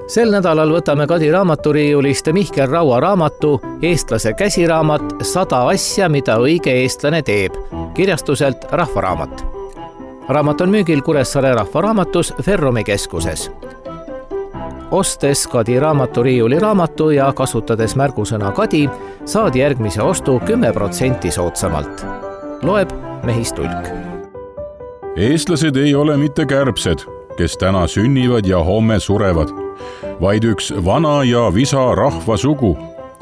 Sel nädalal võtame Kadi raamaturiiulist Mihkel Raua raamatu Eestlase käsiraamat 100 asja, mida õige eestlane teeb, kirjastuselt Rahvaraamat. Raamat on müügil Kuressaare Rahvaraamatus Ferrumi keskuses. Ostes Kadi raamaturiiuli raamatu ja kasutades märgusõna Kadi, saad järgmise ostu 10% soodsamalt. Loeb Mehis Tulk. Eestlased ei ole mitte kärbsed, kes täna sünnivad ja homme surevad, vaid üks vana ja visa rahvasugu,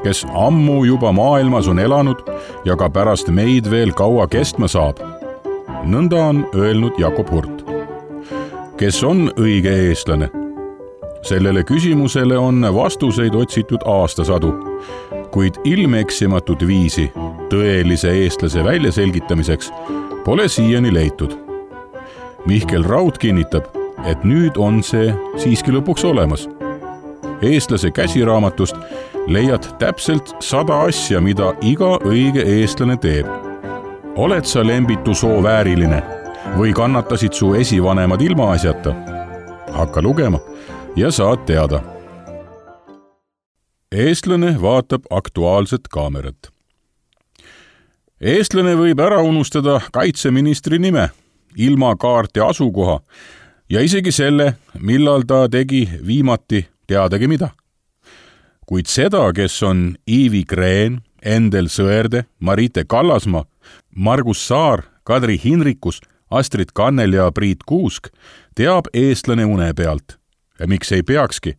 kes ammu juba maailmas on elanud ja ka pärast meid veel kaua kestma saab. Nõnda on öelnud Jakob Hurt. Kes on õige eestlane? Sellele küsimusele on vastuseid otsitud aastasadu, kuid ilmeeksimatut viisi tõelise eestlase väljaselgitamiseks pole siiani leitud. Mihkel Raud kinnitab, et nüüd on see siiski lõpuks olemas. Eestlase käsiraamatust leiad täpselt 100 asja, mida iga õige eestlane teeb. Oled sa lembitu soo vääriline või kannatasid su esivanemad ilmaasjata? Hakka lugema ja saad teada. Eestlane vaatab Aktuaalset kaamerat. Eestlane võib ära unustada kaitseministri nime, ilmakaart ja asukoha ja isegi selle, millal ta tegi viimati teadagi mida. Kuid seda, kes on Iivi Kreen, Endel Sõerde, Marite Kallasmaa, Margus Saar, Kadri Hinrikus, Astrid Kannel ja Priit Kuusk, teab eestlane une pealt. Ja miks ei peakski?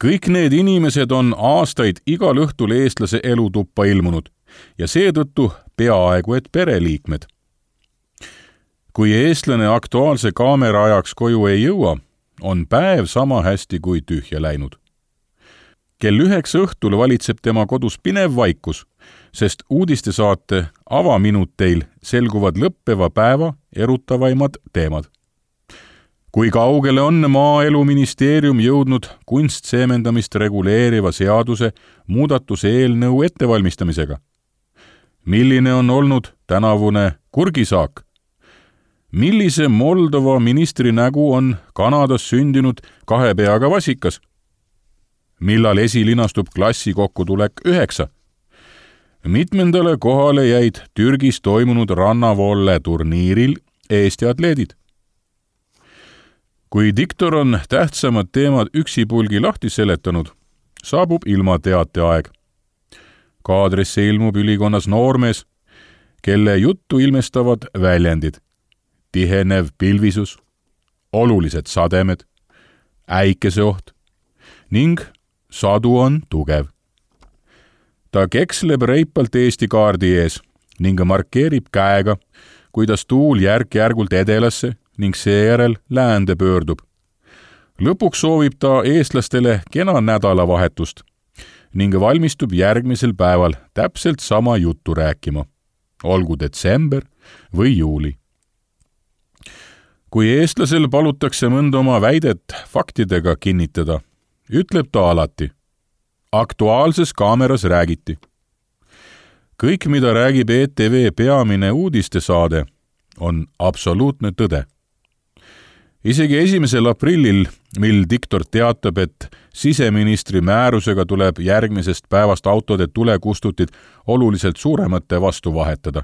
Kõik need inimesed on aastaid igal õhtul eestlase elutuppa ilmunud ja seetõttu peaaegu et pereliikmed. Kui eestlane Aktuaalse kaamera ajaks koju ei jõua, on päev sama hästi kui tühja läinud. Kell 9 õhtul valitseb tema kodus pinev vaikus, sest uudistesaate avaminuteil selguvad lõppeva päeva erutavaimad teemad. Kui kaugele on Maaeluministeerium jõudnud kunstseemendamist reguleeriva seaduse muudatuse eelnõu ettevalmistamisega? Milline on olnud tänavune kurgisaak? Millise Moldova ministri nägu on Kanadas sündinud 2 peaga vasikas? Millal esilinastub klassi kokkutulek 9? Mitmendale kohale jäid Türgis toimunud rannavolle turniiril Eesti atleedid. Kui diktor on tähtsamad teemad üksipulgi lahti seletanud, saabub ilmateate aeg. Kaadrisse ilmub ülikonnas noormees, kelle juttu ilmestavad väljendid. Tihenev pilvisus, olulised sademed, äikeseoht ning sadu on tugev. Ta keksleb reipalt Eesti kaardi ees ning markeerib käega, kuidas tuul järk-järgult edelasse ning seejärel läände pöördub. Lõpuks soovib ta eestlastele kena nädalavahetust ning valmistub järgmisel päeval täpselt sama juttu rääkima, olgu detsember või juuli. Kui eestlasel palutakse mõnda oma väidet faktidega kinnitada, ütleb ta alati: Aktuaalses kaameras räägiti. Kõik, mida räägib ETV peamine uudistesaade, on absoluutne tõde. Isegi 1. aprillil, mil diktor teatab, et siseministri määrusega tuleb järgmisest päevast autode tulekustutid oluliselt suuremate vastu vahetada.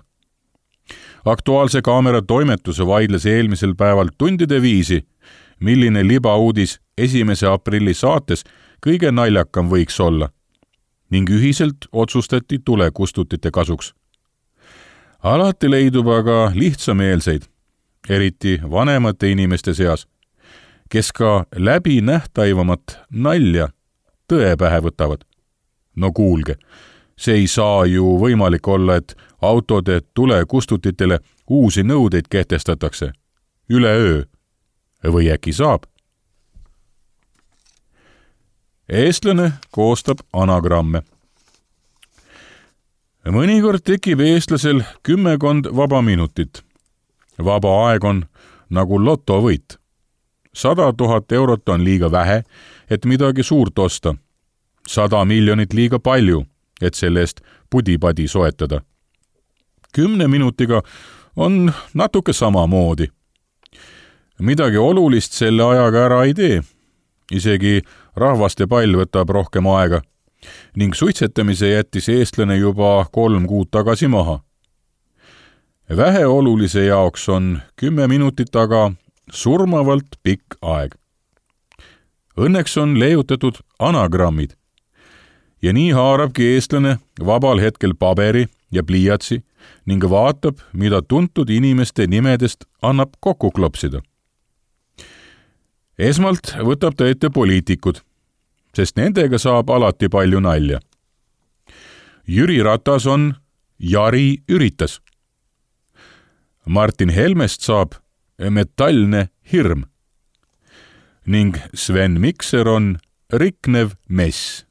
Aktuaalse kaamera toimetuse vaidles eelmisel päeval tundide viisi, milline libauudis 1. aprilli saates kõige naljakam võiks olla, ning ühiselt otsustati tulekustutite kasuks. Alati leidub aga lihtsameelseid, eriti vanemate inimeste seas, kes ka läbi nähtaivamat nalja tõe pähe võtavad. No kuulge, see ei saa ju võimalik olla, et autode tulekustutitele uusi nõudeid kehtestatakse üleöö. Või äkki saab? Eestlane koostab anagramme. Mõnikord tekib eestlasel 10 vaba minutit. Vaba aeg on nagu lotovõit. 100 000 eurot on liiga vähe, et midagi suurt osta. 100 miljonit liiga palju, et selle eest pudipadi soetada. 10 minutiga on natuke samamoodi. Midagi olulist selle ajaga ära ei tee. isegi rahvaste pall võtab rohkem aega ning suitsetamise jättis eestlane juba 3 kuud tagasi maha. Väheolulise jaoks on 10 minutit aga surmavalt pikk aeg. Õnneks on leiutatud anagrammid ja nii haarabki eestlane vabal hetkel paberi ja pliiatsi ning vaatab, mida tuntud inimeste nimedest annab kokku klopsida. Esmalt võtab ta ette poliitikud, sest nendega saab alati palju nalja. Jüri Ratas on Jari üritas. Martin Helmest saab metallne hirm ning Sven Mikser on riknev mess.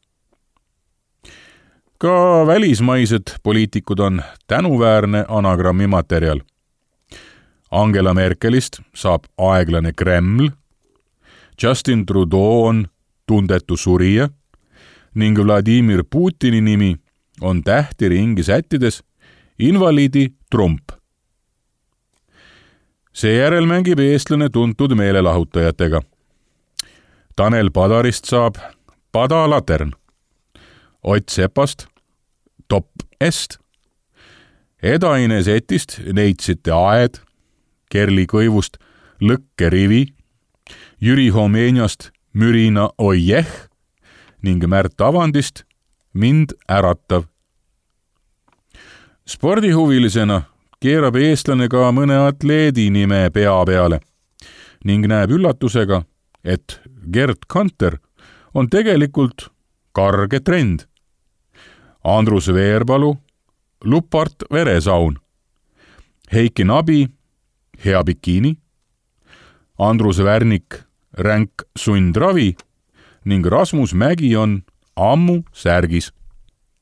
Ka välismaised poliitikud on tänuväärne anagrammi materjal. Angela Merkelist saab aeglane Kreml, Justin Trudeau on tundetu surija ning Vladimir Putini nimi on tähti ringi sättides invaliidi Trump. Seejärel mängib eestlane tuntud meelelahutajatega. Tanel Padarist saab padalatern, Ott Sepast top est, Edaine Setist neitsite aed, Kerli Kõivust lõkkerivi, Jüri Homeenjast mürina oijeh ning Märt Avandist mind äratav. Spordihuvilisena keerab eestlane ka mõne atleedi nime pea peale ning näeb üllatusega, et Gerd Kanter on tegelikult karge trend. Andrus Veerpalu, Lupart veresaun, Heiki Nabi, hea bikiini, Andrus Värnik, ränk sundravi ning Rasmus Mägi on ammu särgis.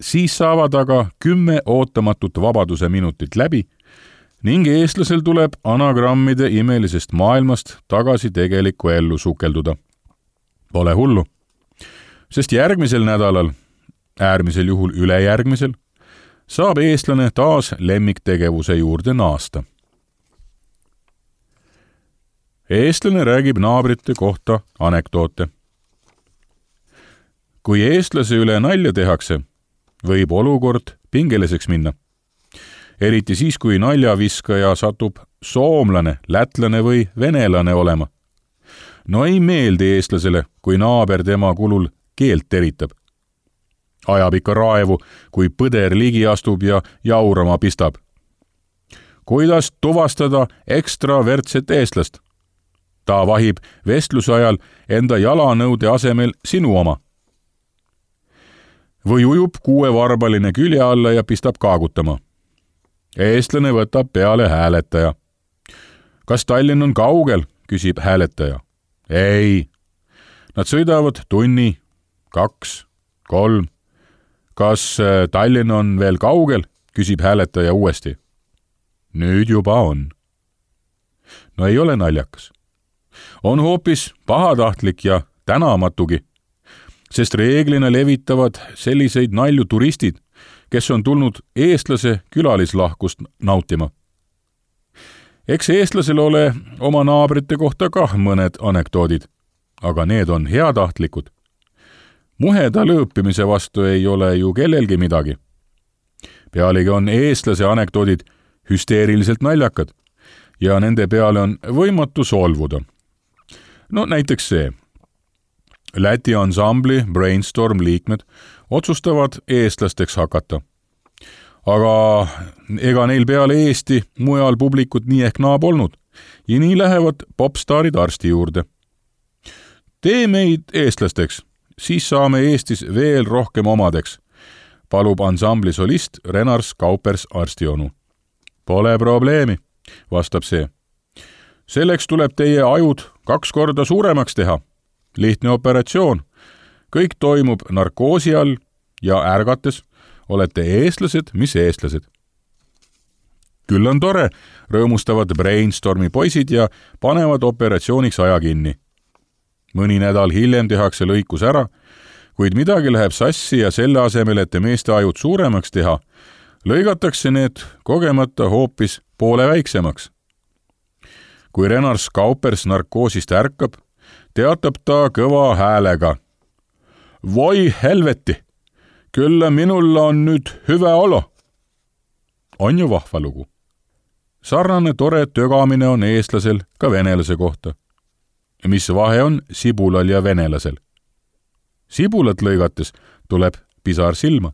Siis saavad aga 10 ootamatut vabaduse minutit läbi ning eestlasel tuleb anagrammide imelisest maailmast tagasi tegelikku ellu sukelduda. Pole hullu, sest järgmisel nädalal, äärmisel juhul ülejärgmisel, saab eestlane taas lemmiktegevuse juurde naasta. Eestlane räägib naabrite kohta anekdoote. Kui eestlase üle nalja tehakse, võib olukord pingeliseks minna. Eriti siis, kui naljaviskaja satub soomlane, lätlane või venelane olema. No ei meeldi eestlasele, kui naaber tema kulul keelt teritab. Ajab ikka raevu, kui põder ligi astub ja jaurama pistab. Kuidas tuvastada ekstravertset eestlast? Ta vahib vestluse ajal enda jalanõude asemel sinu oma. Või ujub 6-varbaline külje alla ja pistab kaagutama. Eestlane võtab peale hääletaja. Kas Tallinn on kaugel, küsib hääletaja. Ei. Nad sõidavad tunni, 2, 3. Kas Tallinn on veel kaugel, küsib hääletaja uuesti. Nüüd juba on. No ei ole naljakas. On hoopis pahatahtlik ja tänamatugi, sest reeglina levitavad selliseid nalju turistid, kes on tulnud eestlase külalislahkust nautima. Eks eestlasel ole oma naabrite kohta kah mõned anekdoodid, aga need on heatahtlikud. Muheda lõõpimise vastu ei ole ju kellelgi midagi. Pealegi on eestlase anekdoodid hüsteeriliselt naljakad ja nende peale on võimatu solvuda. No näiteks see. Läti ansambli Brainstorm liikmed otsustavad eestlasteks hakata. Aga ega neil peale Eesti mujal publikut nii ehk naa polnud ja nii lähevad popstaarid arsti juurde. Tee meid eestlasteks, siis saame Eestis veel rohkem omadeks, palub ansambli solist Renars Kaupers arstionu. Pole probleemi, vastab see. Selleks tuleb teie ajud 2 korda suuremaks teha. Lihtne operatsioon. Kõik toimub narkoosi all ja ärgates olete eestlased, mis eestlased. Küll on tore, rõõmustavad Brainstormi poisid ja panevad operatsiooniks aja kinni. Mõni nädal hiljem tehakse lõikus ära, kuid midagi läheb sassi ja selle asemel, et meeste ajud suuremaks teha, lõigatakse need kogemata hoopis poole väiksemaks. Kui Renars Kaupers narkoosist ärkab, teatab ta kõva häälega. Voi helveti, kyllä minulla on nüüd hyvä olo. On ju vahva lugu. Sarnane tore tögamine on eestlasel ka venelase kohta. Mis vahe on sibulal ja venelasel? Sibulat lõigates tuleb pisar silma.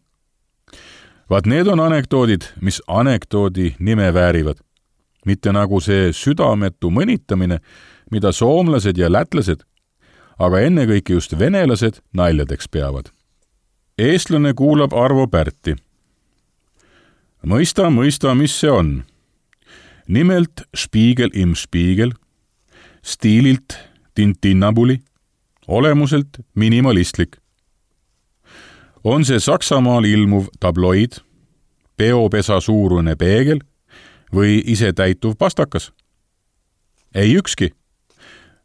Vaat need on anekdoodid, mis anekdoodi nime väärivad. Mitte nagu see südametu mõnitamine, mida soomlased ja lätlased, aga ennekõike just venelased naljadeks peavad. Eestlane kuulab Arvo Pärti. Mõista, mis see on. Nimelt Spiegel im Spiegel, stiililt tintinnabuli, olemuselt minimalistlik. On see Saksamaal ilmuv tabloid, peopesa suurune peegel või isetäituv pastakas? Ei ükski.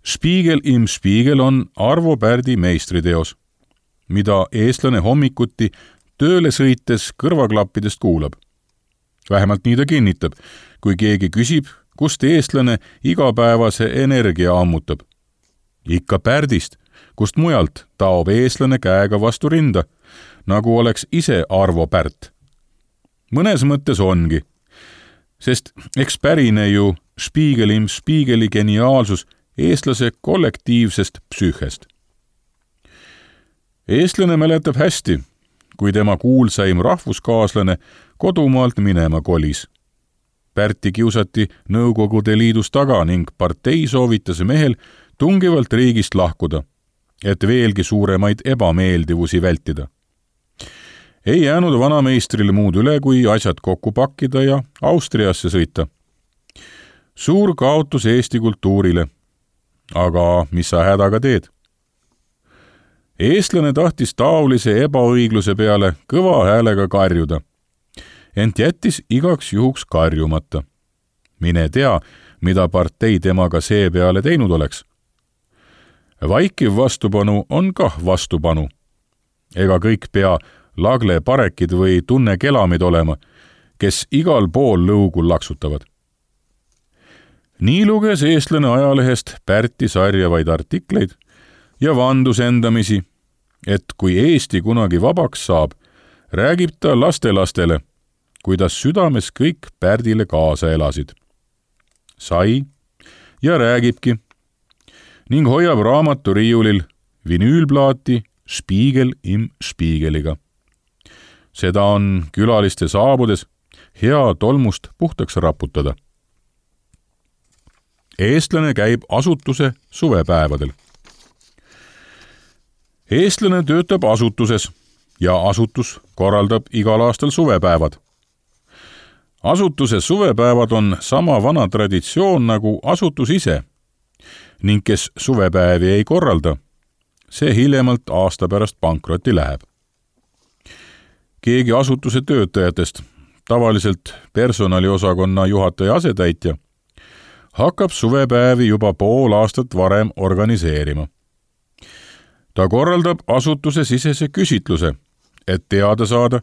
Spiegel im Spiegel on Arvo Pärdi meistriteos, mida eestlane hommikuti tööle sõites kõrvaklappidest kuulab. Vähemalt nii ta kinnitab, kui keegi küsib, kust eestlane igapäevase energia ammutab. Ikka Pärdist, kust mujalt taob eestlane käega vastu rinda, nagu oleks ise Arvo Pärt. Mõnes mõttes ongi, sest eks pärine ju Spiegel im Spiegeli geniaalsus eestlase kollektiivsest psüühest. Eestlane mäletab hästi, kui tema kuulsaim rahvuskaaslane kodumaalt minema kolis. Pärti kiusati Nõukogude Liidus taga ning partei soovitas mehel tungivalt riigist lahkuda, et veelgi suuremaid ebameeldivusi vältida. Ei jäänud vanameistril muud üle, kui asjad kokku pakkida ja Austriasse sõita. Suur kaotus Eesti kultuurile. Aga mis sa hädaga teed? Eestlane tahtis taolise ebaõigluse peale kõva häälega karjuda, ent jättis igaks juhuks karjumata. Mine tea, mida partei temaga see peale teinud oleks. Vaikiv vastupanu on kah vastupanu. Ega kõik pea lagle parekid või tunne kelamid olema, kes igal pool lõugul laksutavad. Nii luges eestlane ajalehest Pärti sarjavaid artikleid ja vandus endamisi, et kui Eesti kunagi vabaks saab, räägib ta lastelastele, kuidas südames kõik Pärdile kaasa elasid. Sai ja räägibki ning hoiab raamaturiiulil vinüülplaati Spiegel im Spiegeliga. Seda on külaliste saabudes hea tolmust puhtaks raputada. Eestlane käib asutuse suvepäevadel. Eestlane töötab asutuses ja asutus korraldab igal aastal suvepäevad. Asutuse suvepäevad on sama vana traditsioon nagu asutus ise ning kes suvepäevi ei korralda, see hiljemalt aasta pärast pankrotti läheb. Keegi asutuse töötajatest, tavaliselt personaliosakonna juhataja asetäitja, hakkab suvepäevi juba pool aastat varem organiseerima. Ta korraldab asutuse sisese küsitluse, et teada saada,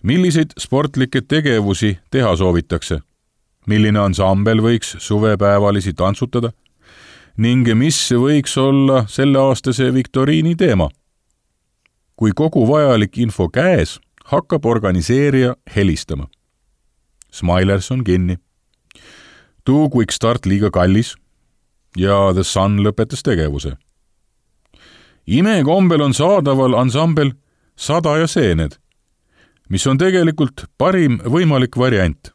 milliseid sportlikke tegevusi teha soovitakse, milline ansambel võiks suvepäevalisi tantsutada ning mis võiks olla selleaastase viktoriini teema. Kui kogu vajalik info käes, hakkab organiseerija helistama. Smilers on kinni. Too Quick Start liiga kallis ja The Sun lõpetas tegevuse. Imekombel on saadaval ansambel 100 ja seened, mis on tegelikult parim võimalik variant,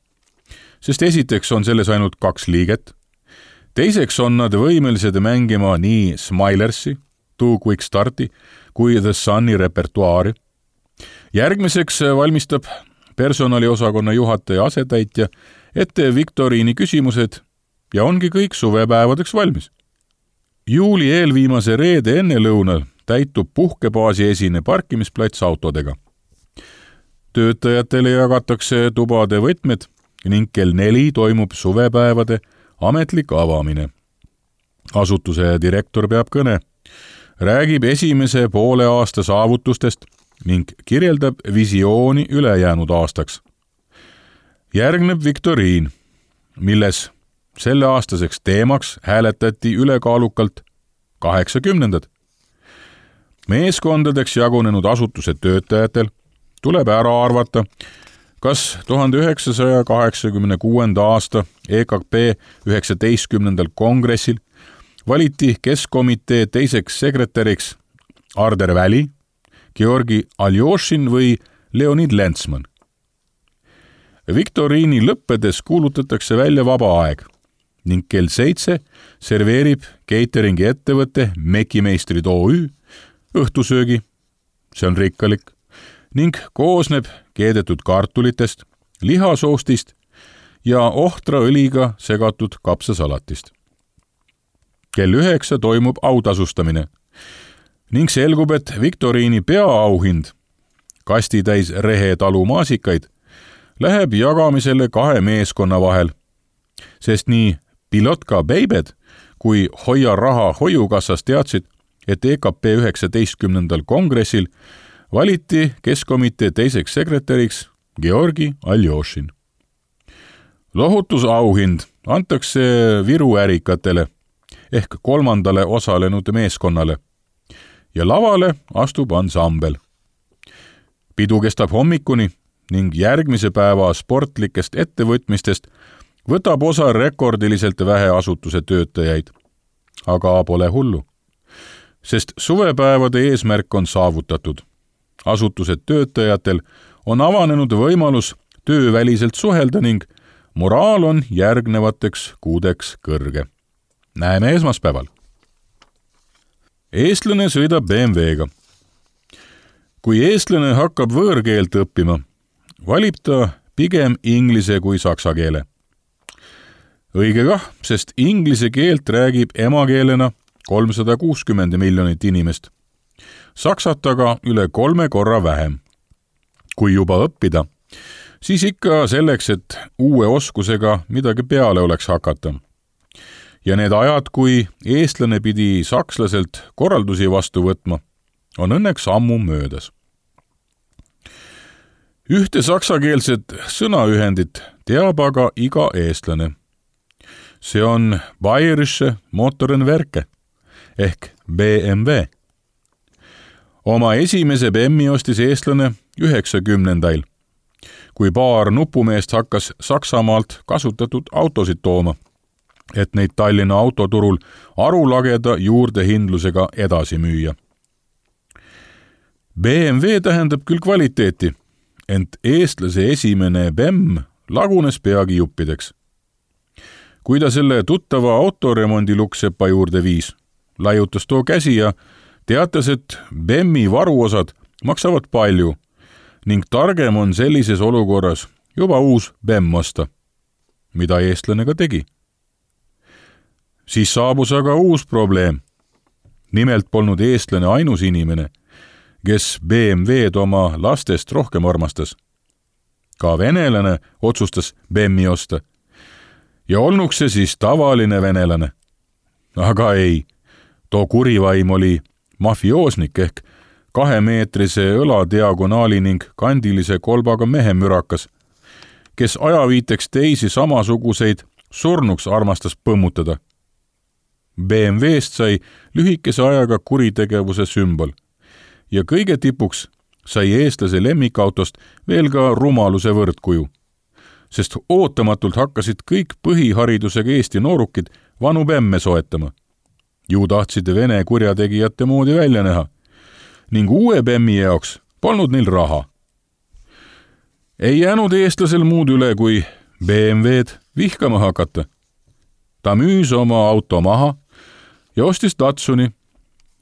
sest esiteks on selles ainult 2 liiget, teiseks on nad võimelised mängima nii Smilersi, Too Quick Starti kui The Suni repertuaari. Järgmiseks valmistab personaliosakonna juhataja asetäitja ette viktoriini küsimused ja ongi kõik suvepäevadeks valmis. Juuli eelviimase reede enne lõunal täitub puhkebaasi esine parkimisplats autodega. Töötajatele jagatakse tubade võtmed ning kell 4 toimub suvepäevade ametlik avamine. Asutuse direktor peab kõne, räägib esimese poole aasta saavutustest ning kirjeldab visiooni ülejäänud aastaks. Järgneb viktoriin, milles selleaastaseks teemaks hääletati ülekaalukalt 80. Meeskondadeks jagunenud asutuse töötajatel tuleb ära arvata, kas 1986. aasta EKP 19. kongressil valiti keskkomitee teiseks sekretäriks Arder Väli, Georgi Aljošin või Leonid Lentsman. Viktoriini lõppedes kuulutatakse välja vaba aeg ning kell 7 serveerib cateringi ettevõte Mekimeistrid OÜ õhtusöögi, see on rikkalik, ning koosneb keedetud kartulitest, lihasoostist ja ohtraõliga segatud kapsasalatist. Kell 9 toimub autasustamine ning selgub, et Viktoriini peaauhind, kastitäis Rehe talu maasikaid, läheb jagamisele 2 meeskonna vahel, sest nii Pilotka Beibed kui Hoia raha hoiukassas teadsid, et EKP 19. kongressil valiti keskkomitee teiseks sekretäriks Georgi Aljošin. Lohutusauhind antakse Viru ärikatele ehk 3. osalenud meeskonnale ja lavale astub ansambel. Pidu kestab hommikuni ning järgmise päeva sportlikest ettevõtmistest võtab osa rekordiliselt vähe asutuse töötajaid. Aga pole hullu, sest suvepäevade eesmärk on saavutatud. Asutuse töötajatel on avanenud võimalus tööväliselt suhelda ning moraal on järgnevateks kuudeks kõrge. Näeme esmaspäeval. Eestlane sõidab BMW-ga. Kui eestlane hakkab võõrkeelt õppima, valib ta pigem inglise kui saksa keele. Õige kah, sest inglise keelt räägib emakeelena 360 miljonit inimest. Saksat aga üle 3 korra vähem. Kui juba õppida, siis ikka selleks, et uue oskusega midagi peale oleks hakata. Ja need ajad, kui eestlane pidi sakslaselt korraldusi vastu võtma, on õnneks ammu möödas. Ühte saksakeelset sõnaühendit teab aga iga eestlane. See on Bayerische Motorenwerke ehk BMW. Oma esimese BMW ostis eestlane 90-ndail, kui paar nupumeest hakkas Saksamaalt kasutatud autosid tooma, et neid Tallinna autoturul arulageda juurdehindlusega edasi müüa. BMW tähendab küll kvaliteeti, ent eestlase esimene BEM lagunes peagi juppideks. Kui ta selle tuttava autoremondi luksepa juurde viis, laiutas too käsi ja teatas, et BEM-i varuosad maksavad palju ning targem on sellises olukorras juba uus BEM osta, mida eestlane ka tegi. Siis saabus aga uus probleem. Nimelt polnud eestlane ainus inimene, kes BMW-d oma lastest rohkem armastas. Ka venelane otsustas BEM-i osta. Ja olnuks see siis tavaline venelane. Aga ei, too kurivaim oli mafioosnik ehk 2-meetrise õladiagonaali ning kandilise kolbaga mehemürakas, kes ajaviiteks teisi samasuguseid surnuks armastas põmmutada. BMW-st sai lühikese ajaga kuritegevuse sümbol ja kõige tipuks sai eestlase lemmikautost veel ka rumaluse võrdkuju, sest ootamatult hakkasid kõik põhiharidusega Eesti noorukid vanu BEM-e soetama. Ju tahtsid vene kurjategijate moodi välja näha ning uue BEM-i jaoks polnud neil raha. Ei jäänud eestlasel muud üle, kui BMW-d vihkama hakata. Ta müüs oma auto maha ja ostis Datsuni,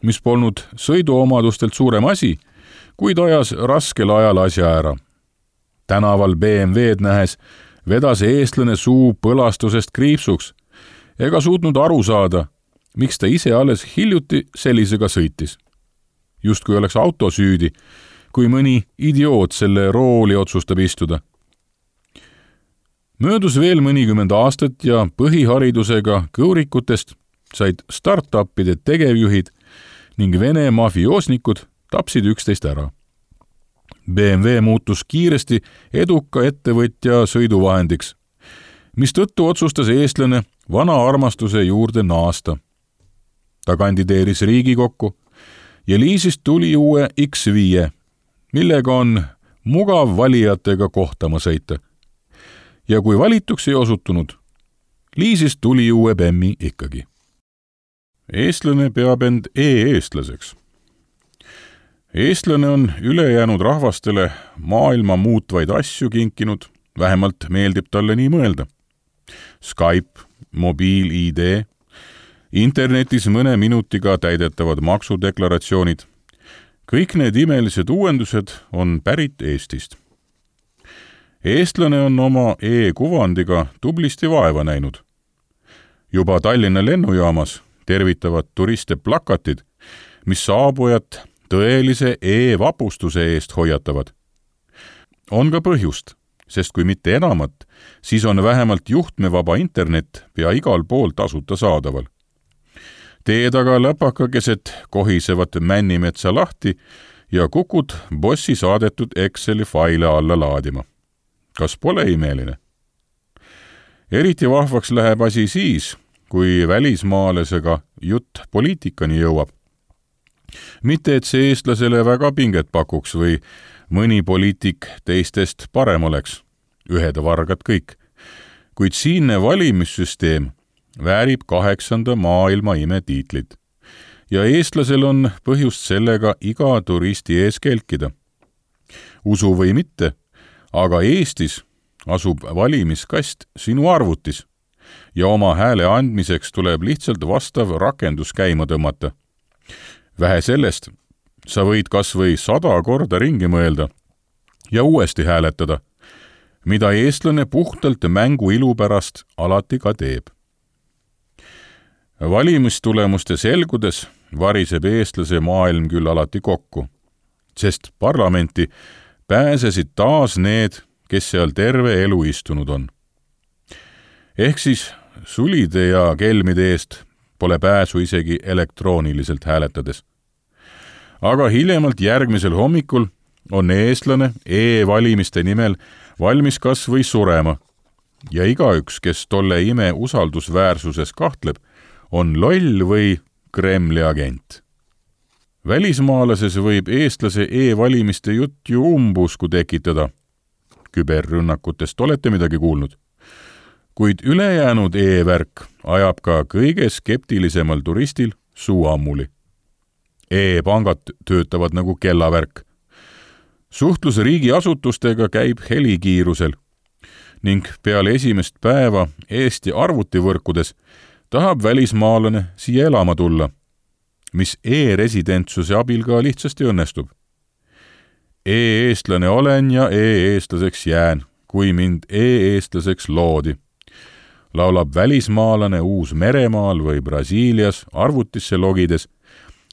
mis polnud sõiduomadustelt suurem asi, kuid ajas raskel ajal asja ära. Tänaval BMW-d nähes vedas eestlane suu põlastusest kriipsuks ega suutnud aru saada, miks ta ise alles hiljuti sellisega sõitis. Just kui oleks auto süüdi, kui mõni idioot selle rooli otsustab istuda. Möödus veel mõnikümmend aastat ja põhiharidusega kõurikutest said startupide tegevjuhid ning vene mafioosnikud tapsid üksteist ära. BMW muutus kiiresti eduka ettevõtja sõiduvahendiks, mistõttu otsustas eestlane vana armastuse juurde naasta. Ta kandideeris Riigikokku ja Liisist tuli uue X5, millega on mugav valijatega kohtama sõita. Ja kui valituks ei osutunud, Liisist tuli uue Bemmi ikkagi. Eestlane peab end e-eestlaseks. Eestlane on ülejäänud rahvastele maailma muutvaid asju kinkinud, vähemalt meeldib talle nii mõelda. Skype, mobiil-ID, internetis mõne minutiga täidetavad maksudeklaratsioonid. Kõik need imelised uuendused on pärit Eestist. Eestlane on oma e-kuvandiga tublisti vaeva näinud. Juba Tallinna lennujaamas tervitavad turiste plakatid, mis saabujat tõelise e-vapustuse eest hoiatavad. On ka põhjust, sest kui mitte enamat, siis on vähemalt juhtmevaba internet pea igal pool tasuta saadaval. Tee taga läpaka keset kohisevat Männimetsa lahti ja kukud bossi saadetud Exceli faile alla laadima. Kas pole imeline? Eriti vahvaks läheb asi siis, kui välismaalasega jutt poliitikani jõuab. Mitte, et see eestlasele väga pinget pakuks või mõni poliitik teistest parem oleks. Ühed vargad kõik. Kuid siinne valimissüsteem väärib 8. maailma ime tiitlit. Ja eestlasel on põhjust sellega iga turisti ees kelkida. Usu või mitte, aga Eestis asub valimiskast sinu arvutis ja oma hääle andmiseks tuleb lihtsalt vastav rakendus käima tõmmata. Vähe sellest, sa võid kas või 100 korda ringi mõelda ja uuesti hääletada, mida eestlane puhtalt mängu ilu pärast alati ka teeb. Valimistulemuste selgudes variseb eestlase maailm küll alati kokku, sest parlamenti pääsesid taas need, kes seal terve elu istunud on. Ehk siis sulide ja kelmide eest pole pääsu isegi elektrooniliselt hääletades. Aga hiljemalt järgmisel hommikul on eestlane e-valimiste nimel valmis kas või surema ja igaüks, kes tolle ime usaldusväärsuses kahtleb, on loll või Kremli agent. Välismaalases võib eestlase e-valimiste jutt ju umbusku tekitada. Küberrünnakutest olete midagi kuulnud? Kuid ülejäänud e-värk ajab ka kõige skeptilisemal turistil suu ammuli. E-pangad töötavad nagu kellavärk. Suhtlus riigiasutustega käib helikiirusel ning peale esimest päeva Eesti arvutivõrkudes tahab välismaalane siia elama tulla, mis e-residentsuse abil ka lihtsasti õnnestub. E-eestlane olen ja e-eestlaseks jään, kui mind e-eestlaseks loodi. Laulab välismaalane Uus-Meremaal või Brasiilias arvutisse logides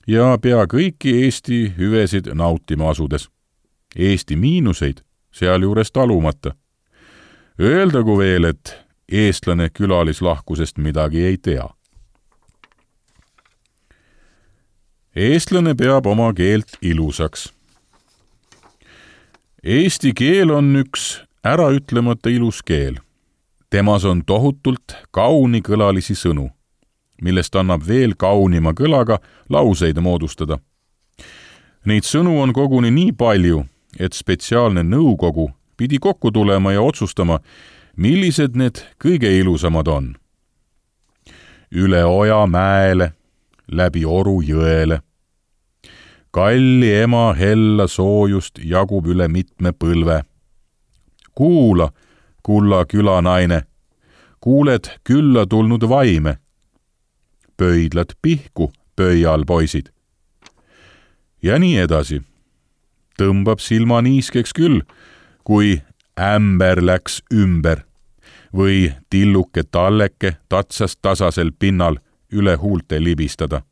ja pea kõiki Eesti hüvesid nautima asudes. Eesti miinuseid sealjuures talumata. Öeldagu veel, et eestlane külalislahkusest midagi ei tea. Eestlane peab oma keelt ilusaks. Eesti keel on üks äraütlemata ilus keel. Temas on tohutult kaunikõlalisi sõnu, millest annab veel kaunima kõlaga lauseid moodustada. Neid sõnu on koguni nii palju, et spetsiaalne nõukogu pidi kokku tulema ja otsustama, millised need kõige ilusamad on. Üle oja mäele, läbi oru jõele. Kalli ema hella soojust jagub üle mitme põlve. Kuula, kulla külanaine, kuuled külla tulnud vaime. Pöidlad pihku, pöial poisid. Ja nii edasi. Tõmbab silma niiskeks küll, kui ämber läks ümber või tilluke talleke tatsas tasasel pinnal üle huulte libistada.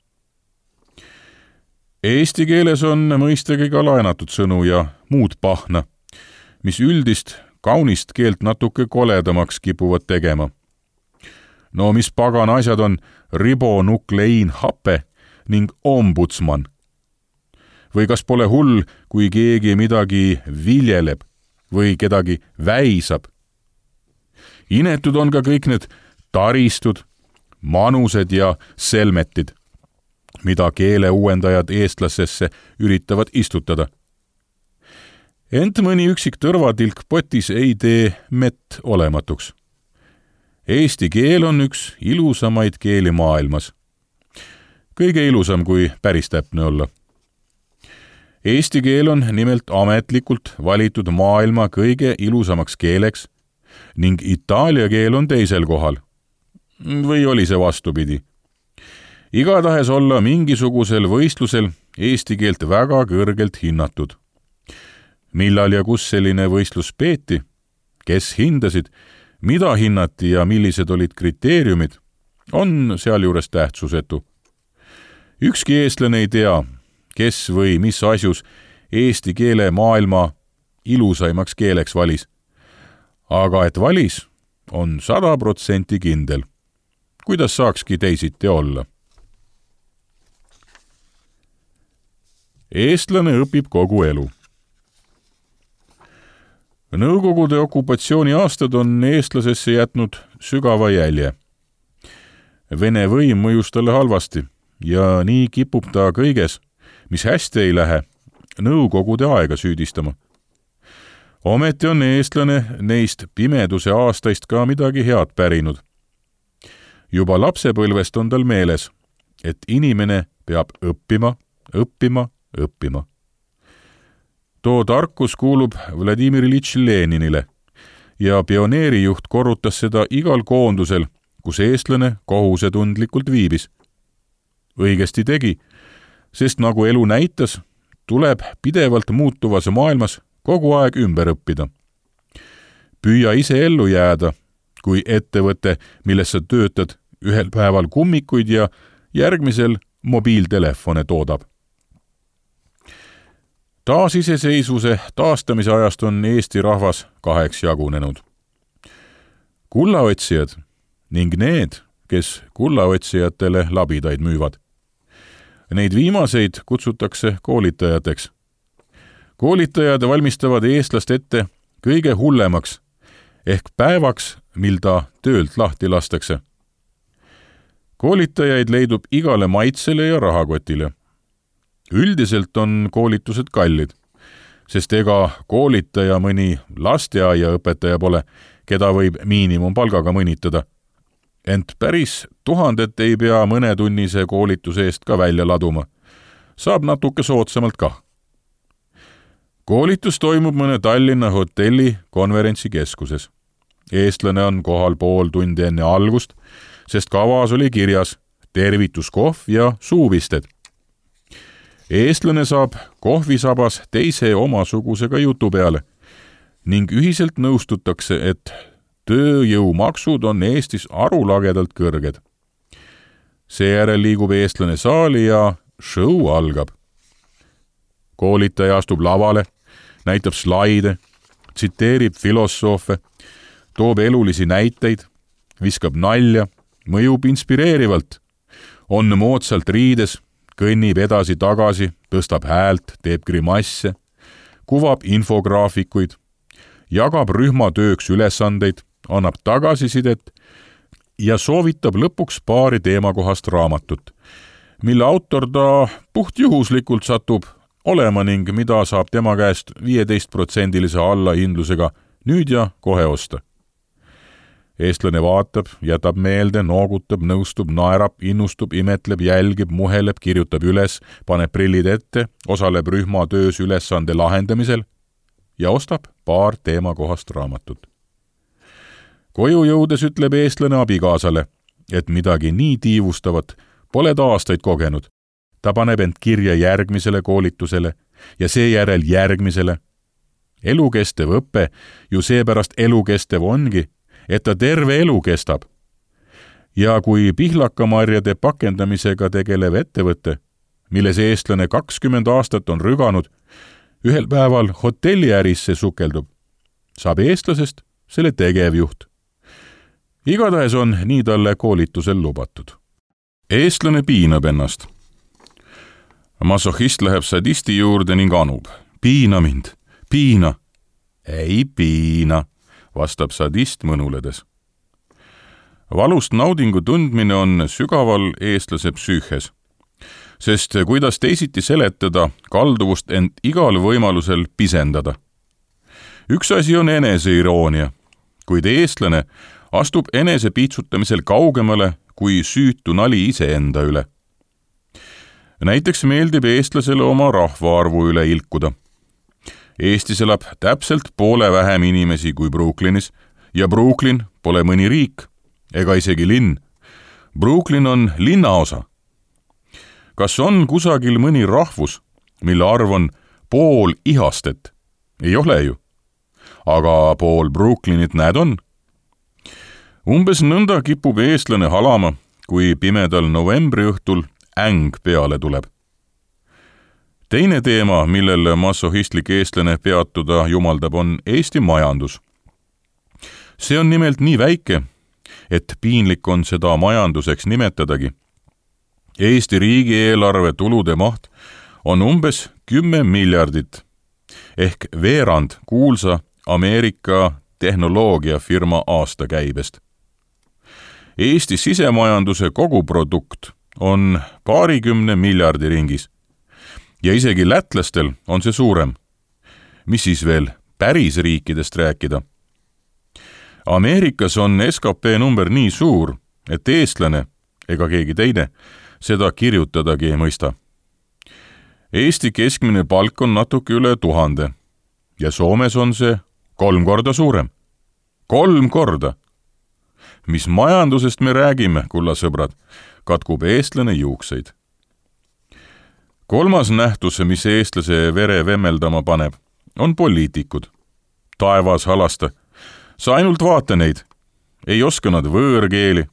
Eesti keeles on mõistagi ka laenatud sõnu ja muud pahna, mis üldist kaunist keelt natuke koledamaks kipuvad tegema. No mis pagan asjad on ribonukleinhape ning ombudsman? Või kas pole hull, kui keegi midagi viljeleb või kedagi väisab? Inetud on ka kõik need taristud, manused ja selmetid. mida keele uuendajad eestlasesse üritavad istutada. Ent mõni üksik tõrvatilk potis ei tee mett olematuks. Eesti keel on üks ilusamaid keeli maailmas. Kõige ilusam, kui päris täpne olla. Eesti keel on nimelt ametlikult valitud maailma kõige ilusamaks keeleks ning itaalia keel on teisel kohal. Või oli see vastupidi? Igatahes olla mingisugusel võistlusel eesti keelt väga kõrgelt hinnatud. Millal ja kus selline võistlus peeti? Kes hindasid? Mida hinnati ja millised olid kriteeriumid? On sealjuures tähtsusetu. Ükski eestlane ei tea, kes või mis asjus eesti keele maailma ilusaimaks keeleks valis. Aga et valis, on 100% kindel. Kuidas saakski teisiti olla? Eestlane õpib kogu elu. Nõukogude okupatsiooni aastad on eestlasesse jätnud sügava jälje. Vene võim mõjus talle halvasti ja nii kipub ta kõiges, mis hästi ei lähe, nõukogude aega süüdistama. Ometi on eestlane neist pimeduse aastaist ka midagi head pärinud. Juba lapsepõlvest on tal meeles, et inimene peab õppima. Too tarkus kuulub Vladimir Iljitš Leninile ja pioneerijuht korrutas seda igal koondusel, kus eestlane kohusetundlikult viibis. Õigesti tegi, sest nagu elu näitas, tuleb pidevalt muutuvas maailmas kogu aeg ümber õppida. Püüa ise ellu jääda, kui ettevõte, milles sa töötad, ühel päeval kummikuid ja järgmisel mobiiltelefone toodab. Taasiseseisvuse taastamise ajast on Eesti rahvas 2 jagunenud. Kullaotsijad ning need, kes kullaotsijatele labidaid müüvad. Neid viimaseid kutsutakse koolitajateks. Koolitajad valmistavad eestlast ette kõige hullemaks, ehk päevaks, mil ta töölt lahti lastakse. Koolitajaid leidub igale maitsele ja rahakotile. Üldiselt on koolitused kallid, sest ega koolitaja mõni lasteaiaõpetaja pole, keda võib miinimumpalgaga mõnitada. Ent päris 1000 ei pea mõnetunnise koolituse eest ka välja laduma. Saab natuke soodsamalt kah. Koolitus toimub mõne Tallinna hotelli konverentsikeskuses. Eestlane on kohal pool tundi enne algust, sest kavas oli kirjas tervituskohv ja suuvisted. Eestlane saab kohvisabas teise omasugusega jutu peale ning ühiselt nõustutakse, et tööjõumaksud on Eestis arulagedalt kõrged. Seejärel liigub eestlane saali ja show algab. Koolitaja astub lavale, näitab slaide, tsiteerib filosoofe, toob elulisi näiteid, viskab nalja, mõjub inspireerivalt, on moodsalt riides, kõnnib edasi-tagasi, tõstab häält, teeb grimasse, kuvab infograafikuid, jagab rühmatööks ülesandeid, annab tagasisidet ja soovitab lõpuks paari teemakohast raamatut, mille autor ta puhtjuhuslikult satub olema ning mida saab tema käest 15% allahindlusega nüüd ja kohe osta. Eestlane vaatab, jätab meelde, noogutab, nõustub, naerab, innustub, imetleb, jälgib, muheleb, kirjutab üles, paneb prillid ette, osaleb rühmatöös ülesande lahendamisel ja ostab paar teemakohast raamatut. Koju jõudes ütleb eestlane abikaasale, et midagi nii tiivustavat pole ta aastaid kogenud. Ta paneb end kirja järgmisele koolitusele ja seejärel järgmisele. Elukestev õpe ju seepärast elukestev ongi, et ta terve elu kestab. Ja kui pihlakamarjade pakendamisega tegelev ettevõte, milles eestlane 20 aastat on rüganud, ühel päeval hotelliärisse sukeldub, saab eestlasest selle tegevjuht. Igatahes on nii talle koolitusel lubatud. Eestlane piinab ennast. Masohhist läheb sadisti juurde ning anub. Piina mind, piina. Ei piina, vastab sadist mõnuledes. Valust naudingu tundmine on sügaval eestlase psüühes. sest kuidas teisiti seletada kalduvust end igal võimalusel pisendada. Üks asi on eneseiroonia, kuid eestlane astub enese piitsutamisel kaugemale kui süütu nali iseenda üle. Näiteks meeldib eestlasele oma rahvaarvu üle ilkuda. Eestis elab täpselt poole vähem inimesi kui Brooklynis ja Brooklyn pole mõni riik ega isegi linn. Brooklyn on linnaosa. Kas on kusagil mõni rahvus, mille arv on pool Ihastet? Ei ole ju. Aga pool Brooklynit näed on. Umbes nõnda kipub eestlane halama, kui pimedal novembri õhtul äng peale tuleb. Teine teema, millel masohistlik eestlane peatuda jumaldab, on Eesti majandus. See on nimelt nii väike, et piinlik on seda majanduseks nimetadagi. Eesti riigieelarve tulude maht on umbes 10 miljardit, ehk veerand kuulsa Ameerika tehnoloogiafirma aastakäibest. Eesti sisemajanduse koguprodukt on 20 miljardi ringis ja isegi lätlastel on see suurem. Mis siis veel päris riikidest rääkida? Ameerikas on SKP number nii suur, et eestlane ega keegi teine seda kirjutadagi ei mõista. Eesti keskmine palk on natuke üle 1000 ja Soomes on see 3 korda suurem. 3 korda! Mis majandusest me räägime, kulla sõbrad, katkub eestlane juukseid. Kolmas nähtus, mis eestlase vere vemmeldama paneb, on poliitikud. Taevas halasta. Sa ainult vaata neid. Ei oska nad võõrkeeli,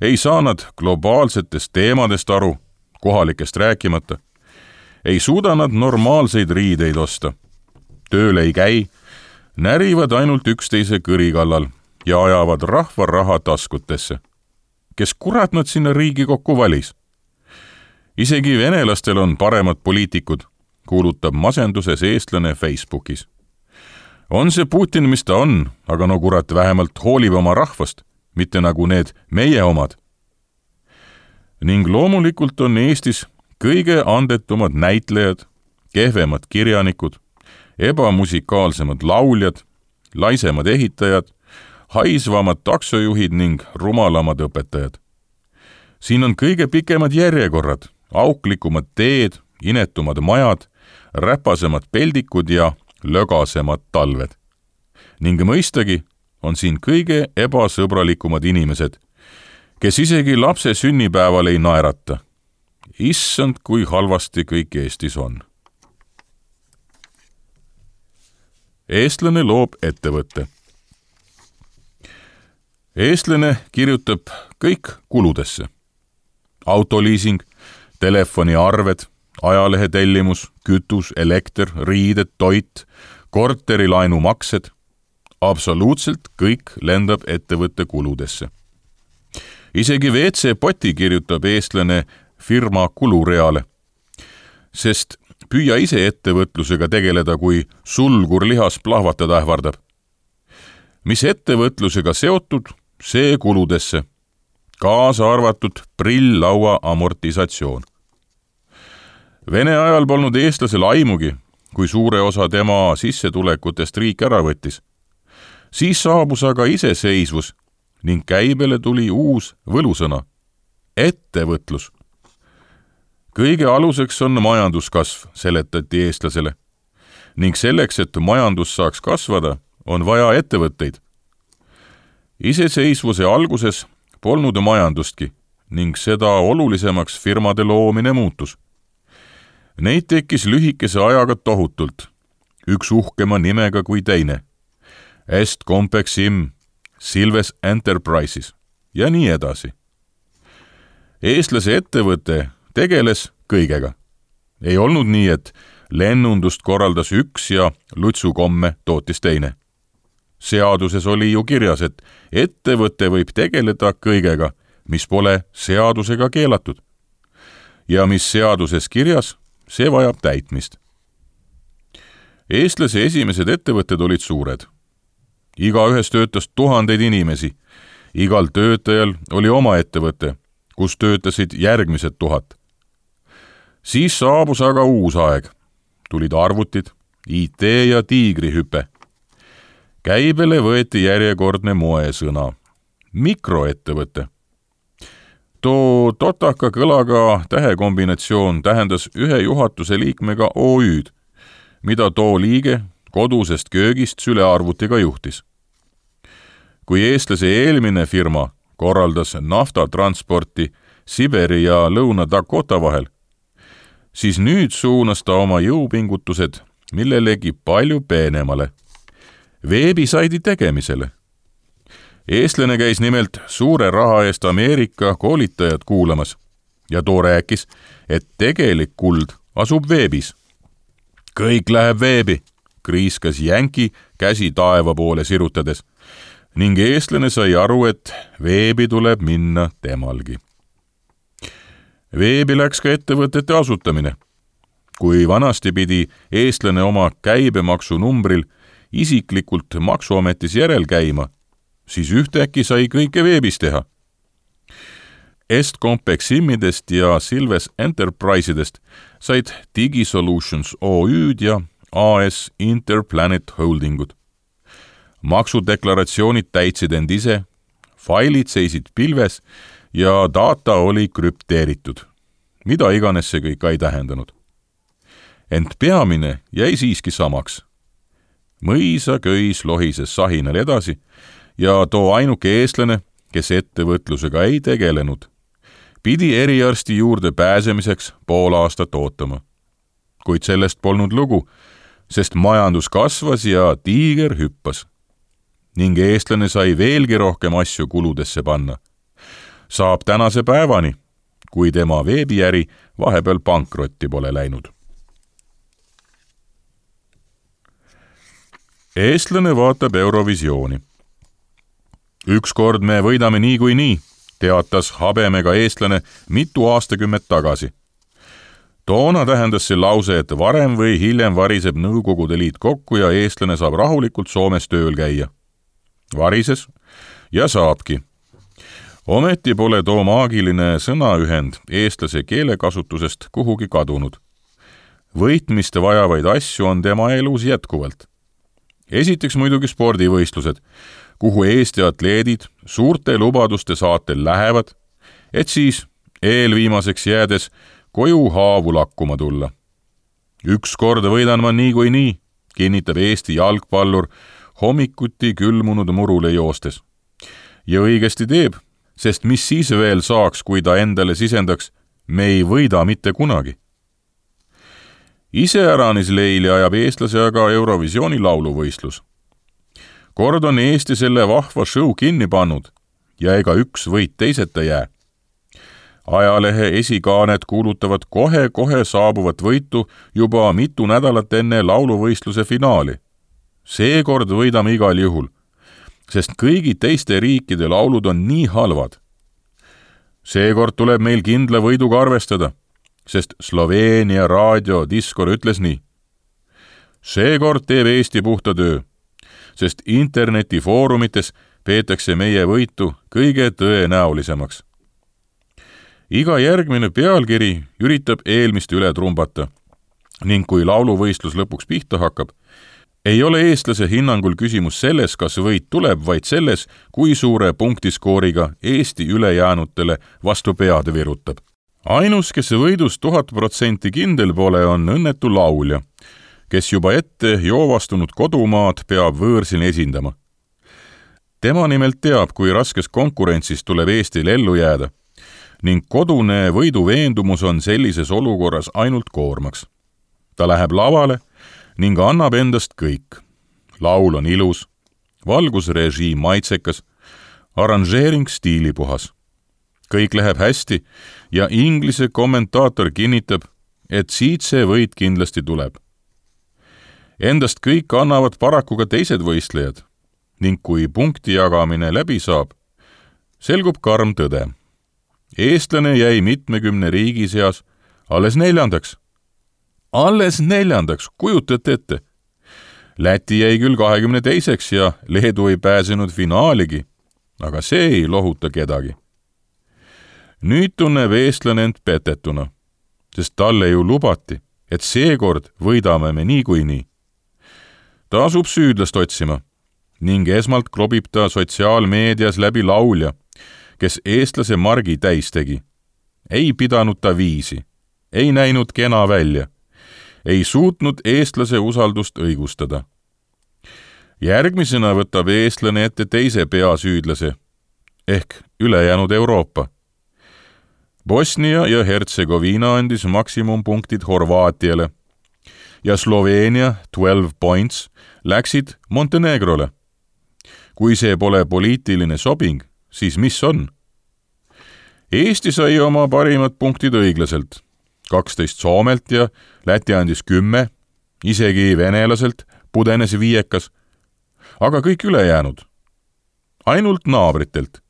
ei saa nad globaalsetest teemadest aru, kohalikest rääkimata. Ei suuda nad normaalseid riideid osta. Tööle ei käi, närivad ainult üksteise kõrikallal ja ajavad rahva raha taskutesse. Kes kurat nad sinna Riigikokku valis? Isegi venelastel on paremad poliitikud, kuulutab masenduses eestlane Facebookis. On see Putin, mis ta on, aga no kurat vähemalt hoolib oma rahvast, mitte nagu need meie omad. Ning loomulikult on Eestis kõige andetumad näitlejad, kehvemad kirjanikud, ebamusikaalsemad lauljad, laisemad ehitajad, haisvamad taksojuhid ning rumalamad õpetajad. Siin on kõige pikemad järjekorrad, auklikumad teed, inetumad majad, räpasemad peldikud ja lögasemad talved. Ning mõistagi on siin kõige ebasõbralikumad inimesed, kes isegi lapse sünnipäeval ei naerata. Issand, kui halvasti kõik Eestis on. Eestlane loob ettevõtte. Eestlane kirjutab kõik kuludesse. Autoliising, telefoniarved, ajalehetellimus, kütus, elekter, riided, toit, korterilaenu maksed. Absoluutselt kõik lendab ettevõtte kuludesse. Isegi WC-poti kirjutab eestlane firma kulureale, sest püüa ise ettevõtlusega tegeleda, kui sulgur lihas plahvatada ähvardab. Mis ettevõtlusega seotud, see kuludesse, kaasa arvatud prill-laua amortisatsioon. Vene ajal polnud eestlasel aimugi, kui suure osa tema sissetulekutest riik ära võttis. Siis saabus aga iseseisvus ning käibele tuli uus võlusõna – ettevõtlus. Kõige aluseks on majanduskasv, seletati eestlasele. Ning selleks, et majandus saaks kasvada, on vaja ettevõtteid. Iseseisvuse alguses polnud majandustki ning seda olulisemaks firmade loomine muutus. Neid tekkis lühikese ajaga tohutult, üks uhkema nimega kui teine. Est Compexim, Silves Enterprises ja nii edasi. Eestlase ettevõte tegeles kõigega. Ei olnud nii, et lennundust korraldas üks ja lutsukomme tootis teine. Seaduses oli ju kirjas, et ettevõte võib tegeleda kõigega, mis pole seadusega keelatud. Ja mis seaduses kirjas, see vajab täitmist. Eestlase esimesed ettevõtted olid suured. Igaühes töötas 1000 inimesi. Igal töötajal oli oma ettevõte, kus töötasid järgmised 1000. Siis saabus aga uus aeg. Tulid arvutid, IT ja tiigrihüpe. Käibele võeti järjekordne moesõna. Mikroettevõte. Too totaka kõlaga tähekombinatsioon tähendas ühe juhatuse liikmega OÜ-d, mida too liige kodusest köögist sülearvutiga juhtis. Kui eestlase eelmine firma korraldas naftatransporti Siberi ja Lõuna-Dakota vahel, siis nüüd suunas ta oma jõupingutused millelegi palju peenemale, veebisaidi tegemisele. Eestlane käis nimelt suure raha eest Ameerika koolitajad kuulamas ja too rääkis, et tegelik kuld asub veebis. Kõik läheb veebi, kriiskas jänki käsi taeva poole sirutades ning eestlane sai aru, et veebi tuleb minna temalgi. Veebi läks ka ettevõtete asutamine. Kui vanasti pidi eestlane oma käibemaksunumbril isiklikult maksuametis järel käima, siis ühtäkki sai kõike veebis teha. Estcompeximidest ja Silves Enterprisedest said DigiSolutions OÜ-d ja AS Interplanet Holdingud. Maksudeklaratsioonid täitsid end ise, failid seisid pilves ja data oli krüpteeritud. Mida iganes see kõik ei tähendanud. Ent peamine jäi siiski samaks. Mõisa köis lohises sahinal edasi ja too ainuke eestlane, kes ettevõtlusega ei tegelenud, pidi eriarsti juurde pääsemiseks pool aastat ootama. Kuid sellest polnud lugu, sest majandus kasvas ja tiiger hüppas. Ning eestlane sai veelgi rohkem asju kuludesse panna. Saab tänase päevani, kui tema veebiäri vahepeal pankrotti pole läinud. Eestlane vaatab Eurovisiooni. Ükskord me võidame nii, teatas habemega eestlane mitu aastakümmet tagasi. Toona tähendas see lause, et varem või hiljem variseb Nõukogude Liit kokku ja eestlane saab rahulikult Soomes tööl käia. Varises ja saabki. Ometi pole too maagiline sõnaühend eestlase keelekasutusest kuhugi kadunud. Võitmist vajavaid asju on tema elus jätkuvalt. Esiteks muidugi spordivõistlused, kuhu Eesti atleedid suurte lubaduste saatel lähevad, et siis eelviimaseks jäädes koju haavu lakkuma tulla. Ükskord võidan ma nii, kinnitab Eesti jalgpallur hommikuti külmunud murule joostes. Ja õigesti teeb, sest mis siis veel saaks, kui ta endale sisendaks, me ei võida mitte kunagi. Iseäranis leili ajab eestlase aga Eurovisiooni lauluvõistlus. Kord on Eesti selle vahva show kinni pannud ja ega üks võit teiseta jää. Ajalehe esikaanet kuulutavad kohe saabuvat võitu juba mitu nädalat enne lauluvõistluse finaali. Seekord võidame igal juhul, sest kõigi teiste riikide laulud on nii halvad. Seekord tuleb meil kindla võiduga arvestada, sest Sloveenia raadio Diskor ütles nii. Seekord teeb Eesti puhta töö, sest internetifoorumites peetakse meie võitu kõige tõenäolisemaks. Iga järgmine pealkiri üritab eelmist üle trumbata ning kui lauluvõistlus lõpuks pihta hakkab, ei ole eestlase hinnangul küsimus selles, kas võit tuleb, vaid selles, kui suure punktiskooriga Eesti ülejäänutele vastu pead virutab. Ainus, kes võidus 1000% kindel pole, on õnnetu laulja, kes juba ette joovastunud kodumaad peab võõrsil esindama. Tema nimelt teab, kui raskes konkurentsis tuleb Eestil ellu jääda ning kodune võiduveendumus on sellises olukorras ainult koormaks. Ta läheb lavale ning annab endast kõik. Laul on ilus, valgusrežiim maitsekas, arranžeering stiilipuhas. Kõik läheb hästi ja Inglise kommentaator kinnitab, et siit see võit kindlasti tuleb. Endast kõik annavad paraku ka teised võistlejad ning kui punkti jagamine läbi saab, selgub karm tõde. Eestlane jäi 70 riigi seas alles 4. Alles 4, kujutate ette. Läti jäi küll 22. ja Leedu ei pääsenud finaaligi, aga see ei lohuta kedagi. Nüüd tunneb eestlane end petetuna, sest talle ju lubati, et seekord võidame me niikuinii. Ta asub süüdlast otsima ning esmalt klobib ta sotsiaalmeedias läbi laulja, kes eestlase margi täis tegi. Ei pidanud ta viisi, ei näinud kena välja, ei suutnud eestlase usaldust õigustada. Järgmisena võtab eestlane ette teise peasüüdlase ehk ülejäänud Euroopa. Bosnia ja Hertsegoviina andis maksimumpunktid Horvaatiale ja Sloveenia 12 points läksid Montenegrole. Kui see pole poliitiline sobing, siis mis on? Eesti sai oma parimad punktid õiglaselt, 12 Soomelt ja Läti andis 10, isegi venelaselt pudenes 5, aga kõik ülejäänud, ainult naabritelt.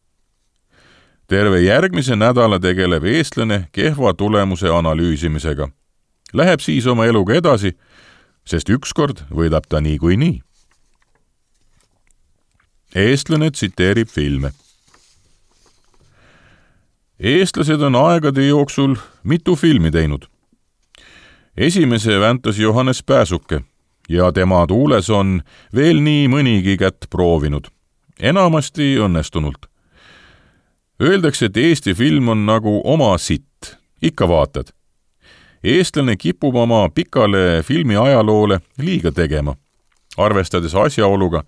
Terve järgmise nädala tegeleb eestlane kehva tulemuse analüüsimisega. Läheb siis oma eluga edasi, sest ükskord võidab ta niikuinii. Eestlane tsiteerib filme. Eestlased on aegade jooksul mitu filmi teinud. Esimese väntas Johannes Pääsuke ja tema tuules on veel nii mõnigi kätt proovinud, enamasti õnnestunult. Öeldakse, et Eesti film on nagu oma sitt, ikka vaatad. Eestlane kipub oma pikale filmi ajaloole liiga tegema, arvestades asjaoluga,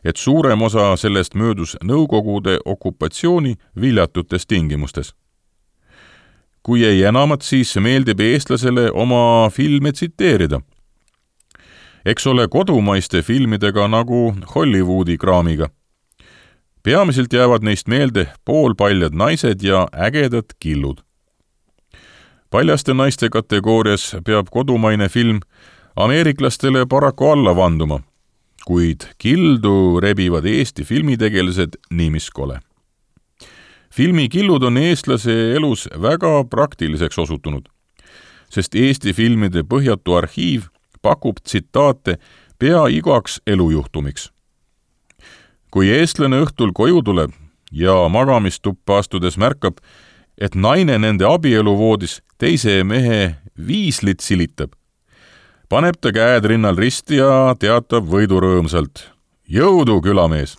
et suurem osa sellest möödus Nõukogude okupatsiooni viljatutes tingimustes. Kui ei enamat, siis meeldib eestlasele oma filme tsiteerida. Eks ole kodumaiste filmidega nagu Hollywoodi kraamiga. Peamiselt jäävad neist meelde poolpaljad naised ja ägedad killud. Paljaste naiste kategoorias peab kodumaine film ameeriklastele paraku alla vanduma, kuid kildu rebivad Eesti filmitegelased nii mis kole. Filmikillud on eestlase elus väga praktiliseks osutunud, sest Eesti filmide põhjatu arhiiv pakub tsitaate pea igaks elujuhtumiks. Kui eestlane õhtul koju tuleb ja magamistuppa astudes märkab, et naine nende abieluvoodis teise mehe viislit silitab, paneb ta käed rinnal risti ja teatab võidurõõmsalt: jõudu, külamees!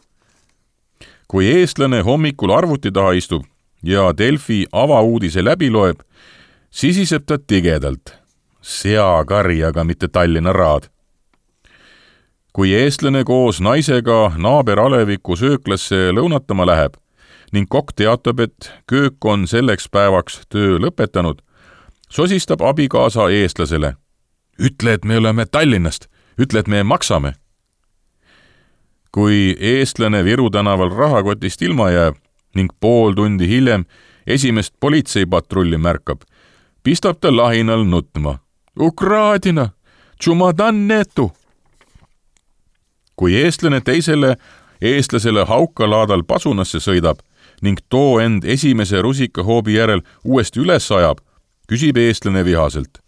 Kui eestlane hommikul arvuti taha istub ja Delfi avauudise läbi loeb, sisiseb ta tigedalt: seakari, aga mitte Tallinna raad. Kui eestlane koos naisega naaber Aleviku sööklasse lõunatama läheb ning kokk teatab, et köök on selleks päevaks töö lõpetanud, sosistab abikaasa eestlasele: ütle, et me oleme Tallinnast, ütle, et me maksame. Kui eestlane Viru tänaval rahakotist ilma jääb ning pool tundi hiljem esimest politseipatrulli märkab, pistab ta lahinal nutma: Ukraadina, tšumadan netu! Kui eestlane teisele eestlasele haukalaadal pasunasse sõidab ning too end esimese rusikahoobi järel uuesti üles ajab, küsib eestlane vihaselt: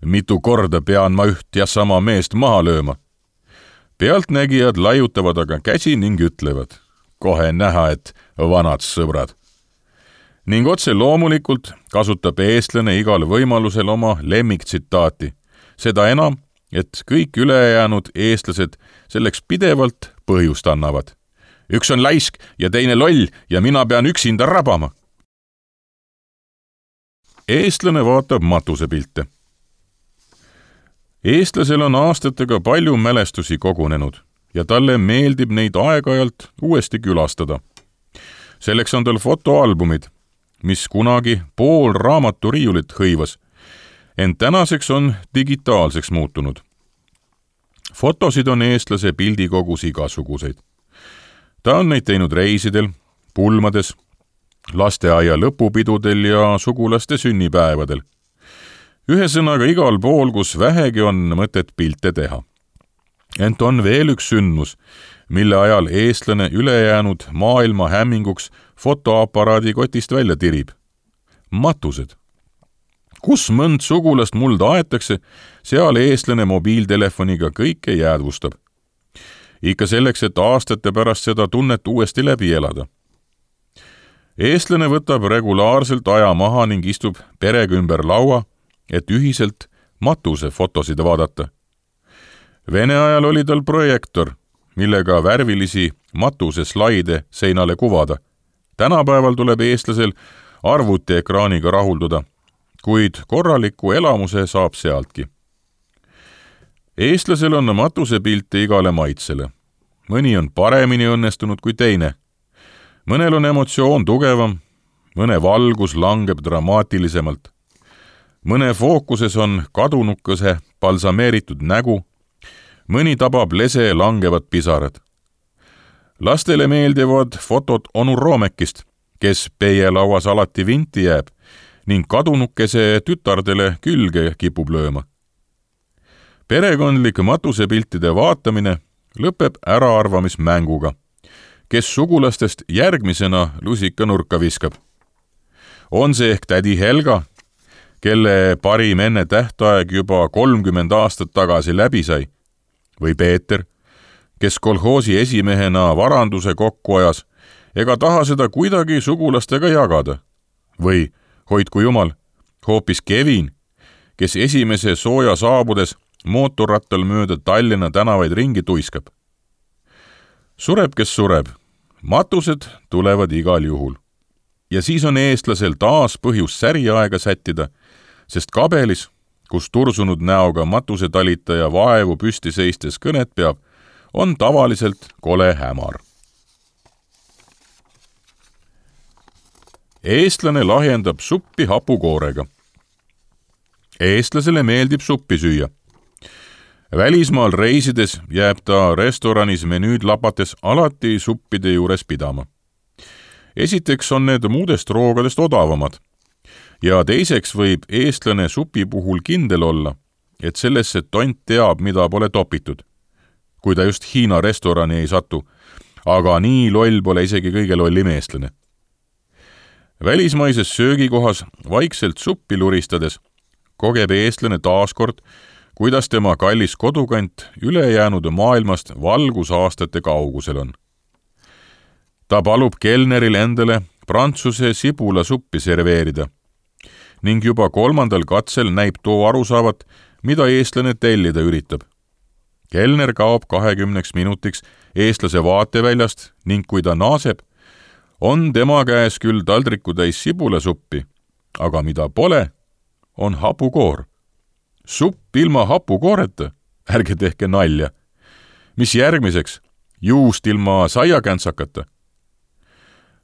mitu korda pean ma üht ja sama meest maha lööma? Pealtnägijad laiutavad aga käsi ning ütlevad: kohe näha, et vanad sõbrad. Ning otse loomulikult kasutab eestlane igal võimalusel oma lemmiktsitaati, seda enam, et kõik ülejäänud eestlased selleks pidevalt põhjust annavad. Üks on laisk ja teine loll ja mina pean üksinda rabama. Eestlane vaatab matusepilte. Eestlasel on aastatega palju mälestusi kogunenud ja talle meeldib neid aeg-ajalt uuesti külastada. Selleks on tal fotoalbumid, mis kunagi pool raamaturiiulit hõivas, ent tänaseks on digitaalseks muutunud. Fotosid on eestlase pildikogus igasuguseid. Ta on neid teinud reisidel, pulmades, lasteaia lõpupidudel ja sugulaste sünnipäevadel. Ühesõnaga igal pool, kus vähegi on mõtet pilte teha. Ent on veel üks sündmus, mille ajal eestlane ülejäänud maailma hämminguks fotoaparaadi kotist välja tirib. Matused. Kus mõnd sugulast mulda aetakse, seal eestlane mobiiltelefoniga kõike jäädvustab. Ikka selleks, et aastate pärast seda tunnet uuesti läbi elada. Eestlane võtab regulaarselt aja maha ning istub perega ümber laua et ühiselt matuse fotosid vaadata. Vene ajal oli tal projektor, millega värvilisi matuse slaide seinale kuvada. Tänapäeval tuleb eestlasel arvutiekraaniga rahulduda, kuid korraliku elamuse saab sealtki. Eestlasel on matusepilte igale maitsele. Mõni on paremini õnnestunud kui teine. Mõnel on emotsioon tugevam, mõne valgus langeb dramaatilisemalt. Mõne fookuses on kadunukese balsameeritud nägu, mõni tabab lese langevad pisarad. Lastele meeldivad fotod onu Roomekist, kes peielauas alati vinti jääb ning kadunukese tütardele külge kipub lööma. Perekondlik matusepiltide vaatamine lõpeb äraarvamismänguga, kes sugulastest järgmisena lusika nurka viskab. On see ehk tädi Helga, kelle parim enne tähtaeg juba 30 aastat tagasi läbi sai, või Peeter, kes kolhoosi esimehena varanduse kokku ajas ega taha seda kuidagi sugulastega jagada. Või, hoidku jumal, hoopis Kevin, kes esimese sooja saabudes mootorrattal mööda Tallinna tänavaid ringi tuiskab. Sureb, kes sureb. Matused tulevad igal juhul. Ja siis on eestlasel taas põhjus säriaega sättida, sest kabelis, kus tursunud näoga matusetalitaja vaevu püsti seistes kõnet peab, on tavaliselt kole hämar. Eestlane lahjendab suppi hapukoorega. Eestlasele meeldib suppi süüa. Välismaal reisides jääb ta restoranis menüüd lapates alati suppide juures pidama. Esiteks on need muudest roogadest odavamad ja teiseks võib eestlane supi puhul kindel olla, et sellesse tont teab, mida pole topitud, kui ta just Hiina restorani ei satu, aga nii loll pole isegi kõige lollim eestlane. Välismaises söögikohas vaikselt suppi luristades kogeb eestlane taaskord, kuidas tema kallis kodukant ülejäänud maailmast valgusaastate kaugusel on. Ta palub kelneril endale prantsuse sibulasuppi serveerida ning juba 3. katsel näib too arusaavat, mida eestlane tellida üritab. Kelner kaob 20 minutiks eestlase vaateväljast ning kui ta naaseb, on tema käes küll taldriku täis sibulasuppi, aga mida pole, on hapukoor. Supp ilma hapukooreta, ärge tehke nalja. Mis järgmiseks? Juust ilma saiakäntsakata?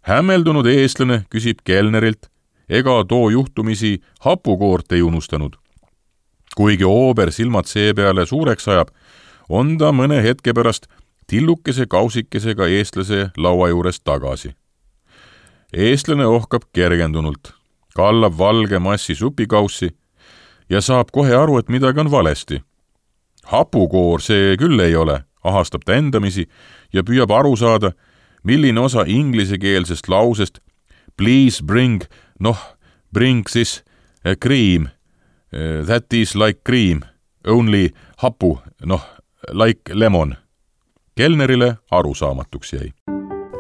Hämmeldunud eestlane küsib kelnerilt, ega too juhtumisi hapukoort ei unustanud. Kuigi oober silmad see peale suureks ajab, on ta mõne hetke pärast tillukese kausikesega eestlase laua juures tagasi. Eestlane ohkab kergendunult, kallab valge massi supikaussi ja saab kohe aru, et midagi on valesti. Hapukoor see küll ei ole, ahastab ta endamisi ja püüab aru saada, milline osa inglisekeelsest lausest please bring this cream, that is like cream, only hapu, like lemon. Kelnerile arusaamatuks jäi.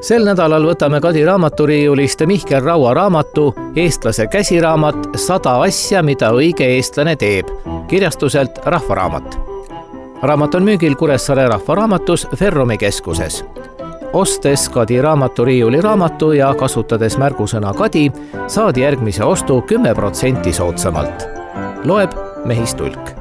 Sel nädalal võtame Kadi raamaturiiulist Mihkel Raua raamatu Eestlase käsiraamat 100 asja, mida õige eestlane teeb, kirjastuselt Rahvaraamat. Raamat on müügil Kuressaare Rahvaraamatus Ferrumi keskuses. Ostes Kadi raamaturiiuli raamatu ja kasutades märgusõna Kadi, saad järgmise ostu 10% soodsamalt. Loeb Mehis Tulk.